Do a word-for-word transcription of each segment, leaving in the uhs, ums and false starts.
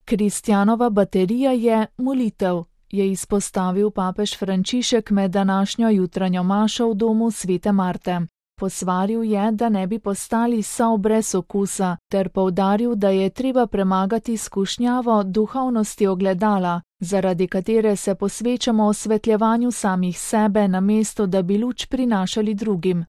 Kristjanova baterija je molitev, je izpostavil papež Frančišek med današnjo jutranjo mašo v domu svete Marte. Posvaril je, da ne bi postali sol brez okusa, ter poudaril, da je treba premagati skušnjavo duhovnosti ogledala, zaradi katere se posvečamo osvetljevanju samih sebe, namesto da bi luč prinašali drugim.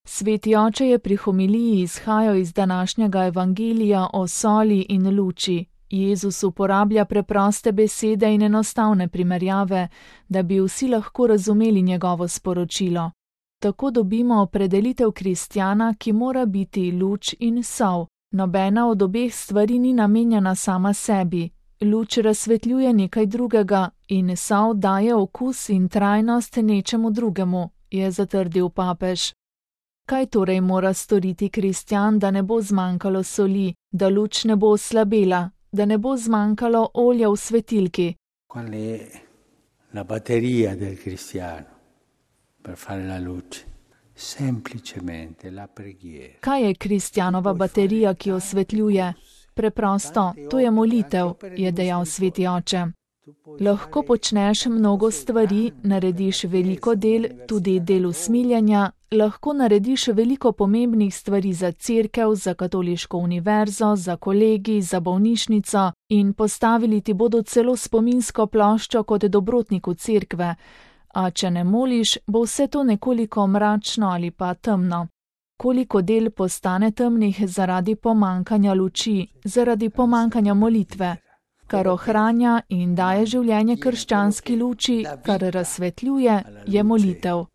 Sveti oče je pri homiliji izhajal iz današnjega evangelija o soli in luči. Jezus uporablja preproste besede in enostavne primerjave, da bi vsi lahko razumeli njegovo sporočilo. Tako dobimo opredelitev kristjana, ki mora biti luč in sol. Nobena od obeh stvari ni namenjena sama sebi. Luč razsvetljuje nekaj drugega in sol daje okus in trajnost nečemu drugemu, je zatrdil papež. Kaj torej mora storiti kristjan, da ne bo zmanjkalo soli, da luč ne bo oslabela, da ne bo zmanjkalo olja v svetilki? Qual è la batteria del cristiano per fare la luce? Semplicemente la preghiera. Kaj je kristjanova baterija, ki osvetljuje? Preprosto, to je molitev, je dejal sveti oče. Lahko počneš mnogo stvari, narediš veliko del, tudi del usmiljenja, lahko narediš veliko pomembnih stvari za cerkev, za katoliško univerzo, za kolegi, za bolnišnico in postavili ti bodo celo spominsko ploščo kot dobrotniku cerkve, a če ne moliš, bo vse to nekoliko mračno ali pa temno. Koliko del postane temnih zaradi pomankanja luči, zaradi pomankanja molitve, kar ohranja in daje življenje krščanski luči, kar razsvetljuje, je molitev.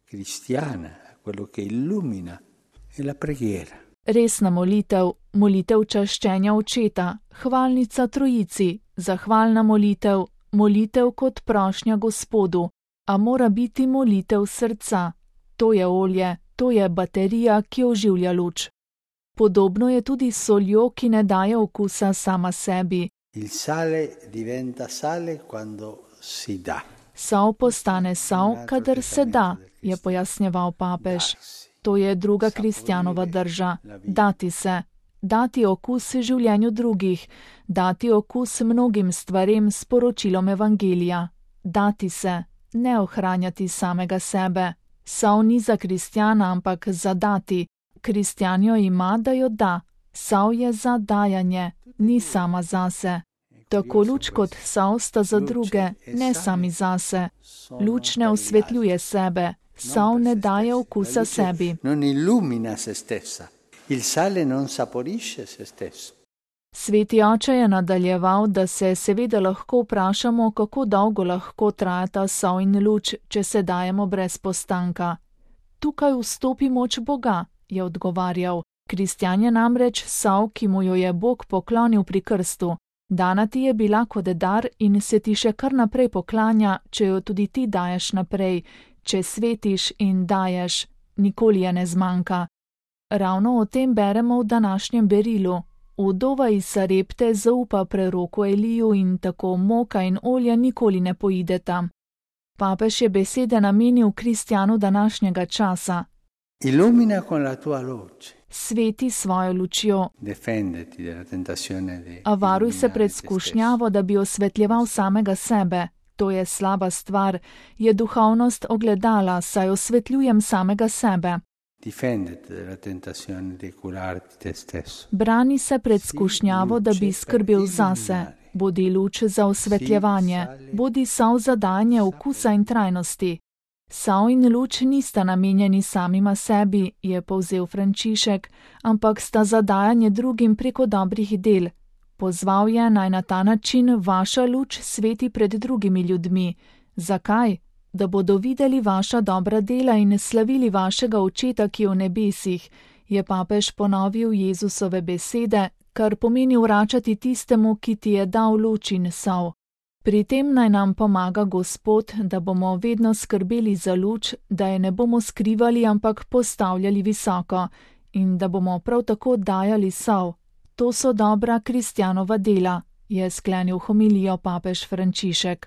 Resna molitev, molitev čaščenja očeta, hvalnica trojici, zahvalna molitev, molitev kot prošnja Gospodu, a mora biti molitev srca. To je olje, to je baterija, ki oživlja luč. Podobno je tudi s soljo, ki ne daje okusa sama sebi. Il sale diventa sale quando si dà. Sol postane sol, kadar se da, je pojasnjeval papež. To je druga kristjanova drža. Dati se. Dati okus življenju drugih. Dati okus mnogim stvarem s poročilom evangelija. Dati se. Ne ohranjati samega sebe. Sol ni za kristjana, ampak za dati. Kristjan jo ima, da jo da. Sol je za dajanje, ni sama zase. Tako luč kot sol sta za druge, ne sami zase. Luč ne osvetljuje sebe, sol ne daje okusa sebi. Non illumina se stessa. Il sale non saporisce se stesso. Sveti oče je nadaljeval, da se seveda lahko vprašamo, kako dolgo lahko trajata sol in luč, če se dajemo brez postanka. Tukaj vstopi moč Boga, je odgovarjal. Kristjan je namreč sol, ki mu jo je Bog poklonil pri krstu. Dana ti je bila kot dar in se ti še kar naprej poklanja, če jo tudi ti daješ naprej, če svetiš in daješ, nikoli je ne zmanjka. Ravno o tem beremo v današnjem berilu. Vdova iz Sarepte zaupa preroku Eliju in tako moka in olja nikoli ne poideta. Papež je besede namenil kristjanu današnjega časa. Illumina con la tua luce. Sveti svojo lučjo. Defenditi della tentazione di. A varuj se pred skušnjavo, da bi osvetljeval samega sebe. To je slaba stvar, je duhovnost ogledala, saj osvetljujem samega sebe. Difenditi della tentazione di curarti te stesso. Brani se pred skušnjavo, da bi skrbel zase. Bodi luč za osvetljevanje, bodi sol za dajanje okusa in trajnosti. Sol in luč nista namenjeni samima sebi, je povzel Frančišek, ampak sta za dajanje drugim preko dobrih del. Pozval je, naj na ta način vaša luč sveti pred drugimi ljudmi. Zakaj? Da bodo videli vaša dobra dela in slavili vašega očeta, ki je v nebesih, je papež ponovil Jezusove besede, kar pomeni vračati tistemu, ki ti je dal luč in sol. Pri tem naj nam pomaga Gospod, da bomo vedno skrbeli za luč, da je ne bomo skrivali, ampak postavljali visoko in da bomo prav tako dajali sol. To so dobra kristjanova dela, je sklenil homilijo papež Frančišek.